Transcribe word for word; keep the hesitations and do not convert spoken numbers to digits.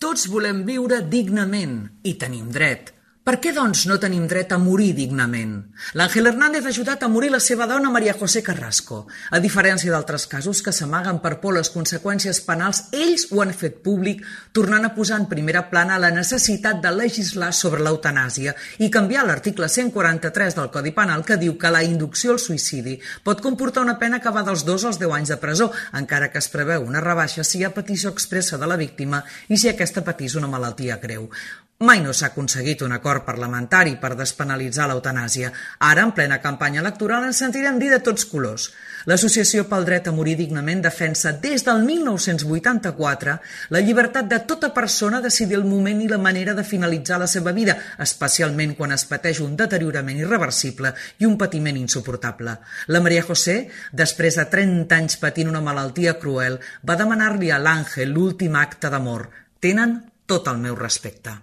Tots volem viure dignament i tenim dret. Per què, doncs, no tenim dret a morir dignament? L'Àngel Hernández ha ajudat a morir la seva dona María José Carrasco. A diferència d'altres casos que s'amaguen per por les conseqüències penals, ells ho han fet públic, tornant a posar en primera plana la necessitat de legislar sobre l'eutanàsia i canviar l'article cent quaranta-tres del Codi Penal que diu que la inducció al suïcidi pot comportar una pena que va dels dos als deu anys de presó, encara que es preveu una rebaixa si hi ha petició expressa de la víctima i si aquesta patís una malaltia greu. Mai no s'ha aconseguit un acord parlamentari per despenalitzar l'eutanàsia. Ara, en plena campanya electoral, ens sentirem dir de tots colors. L'Associació pel Dret a Morir Dignament defensa des del mil nou-cents vuitanta-quatre la llibertat de tota persona a decidir el moment i la manera de finalitzar la seva vida, especialment quan es pateix un deteriorament irreversible i un patiment insuportable. La María José, després de trenta anys patint una malaltia cruel, va demanar-li a l'Àngel l'últim acte d'amor. Tenen tot el meu respecte.